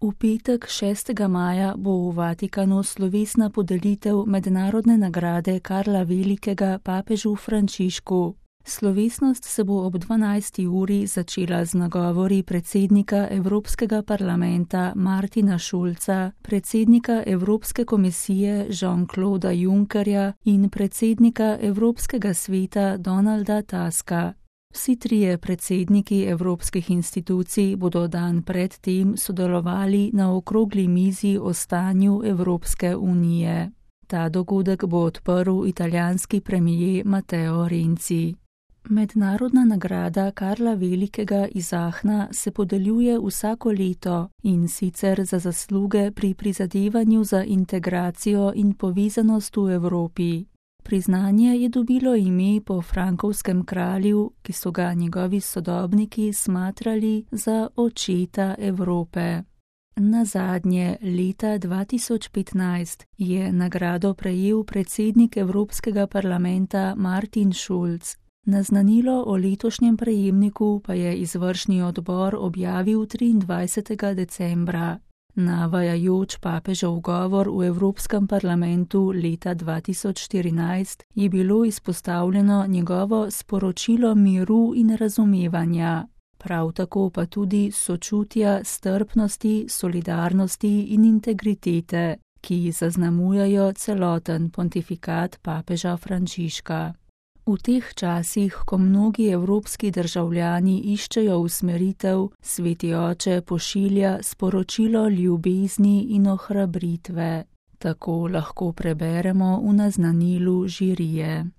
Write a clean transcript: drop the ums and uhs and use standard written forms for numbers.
V petek 6. maja bo v Vatikanu slovesna podelitev mednarodne nagrade Karla Velikega papežu Frančišku. Slovesnost se bo ob 12. uri začela z nagovori predsednika Evropskega parlamenta Martina Schulza, predsednika Evropske komisije Jean-Clauda Junckerja in predsednika Evropskega sveta Donalda Tuska. Vsi trije predsedniki evropskih institucij bodo dan pred tem sodelovali na okrogli mizi o stanju Evropske unije. Ta dogodek bo odprl italijanski premier Matteo Renzi. Mednarodna nagrada Karla Velikega iz Aachna se podeljuje vsako leto, in sicer za zasluge pri prizadevanju za integracijo in povezanost v Evropi. Priznanje je dobilo ime po frankovskem kralju, ki so ga njegovi sodobniki smatrali za očeta Evrope. Nazadnje, leta 2015, je nagrado prejel predsednik Evropskega parlamenta Martin Schulz. Naznanilo o letošnjem prejemniku pa je izvršni odbor objavil 23. decembra. Navajajoč papežev govor v Evropskem parlamentu leta 2014 je bilo izpostavljeno njegovo sporočilo miru in razumevanja, prav tako pa tudi sočutja, strpnosti, solidarnosti in integritete, ki zaznamujajo celoten pontifikat papeža Frančiška. V teh časih, ko mnogi evropski državljani iščejo usmeritev, Sveti Oče pošilja sporočilo ljubezni in ohrabritve. Tako lahko preberemo v naznanilu žirije.